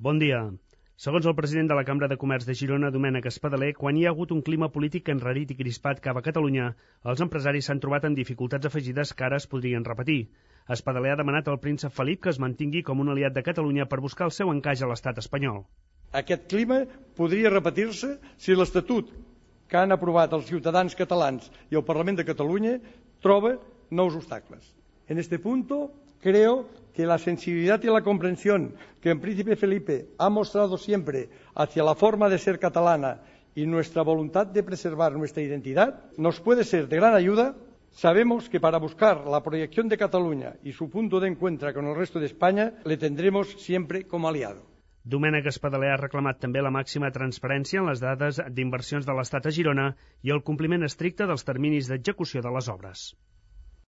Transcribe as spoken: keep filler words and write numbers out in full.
Bon dia. Segons el president de la Cambra de Comerç de Girona, Domènec Espadaler, quan hi ha hagut un clima polític enrarit i crispat cap a Catalunya, els empresaris s'han trobat amb dificultats afegides que ara es podrien repetir. Espadaler ha demanat al príncep Felip que es mantingui com un aliat de Catalunya per buscar el seu encaix a l'estat espanyol. Aquest clima podria repetir-se si l'Estatut que han aprovat els ciutadans catalans y el Parlament de Catalunya troba nous obstacles. En este punto, creo que la sensibilidad y la comprensión que el príncipe Felipe ha mostrado siempre hacia la forma de ser catalana y nuestra voluntad de preservar nuestra identidad nos puede ser de gran ayuda. Sabemos que para buscar la proyección de Cataluña y su punto de encuentro con el resto de España, le tendremos siempre como aliado. Domènec Espadaler ha reclamat també la màxima transparència en les dades d'inversions de l'Estat a Girona i el compliment estricte dels terminis d'execució de les obres.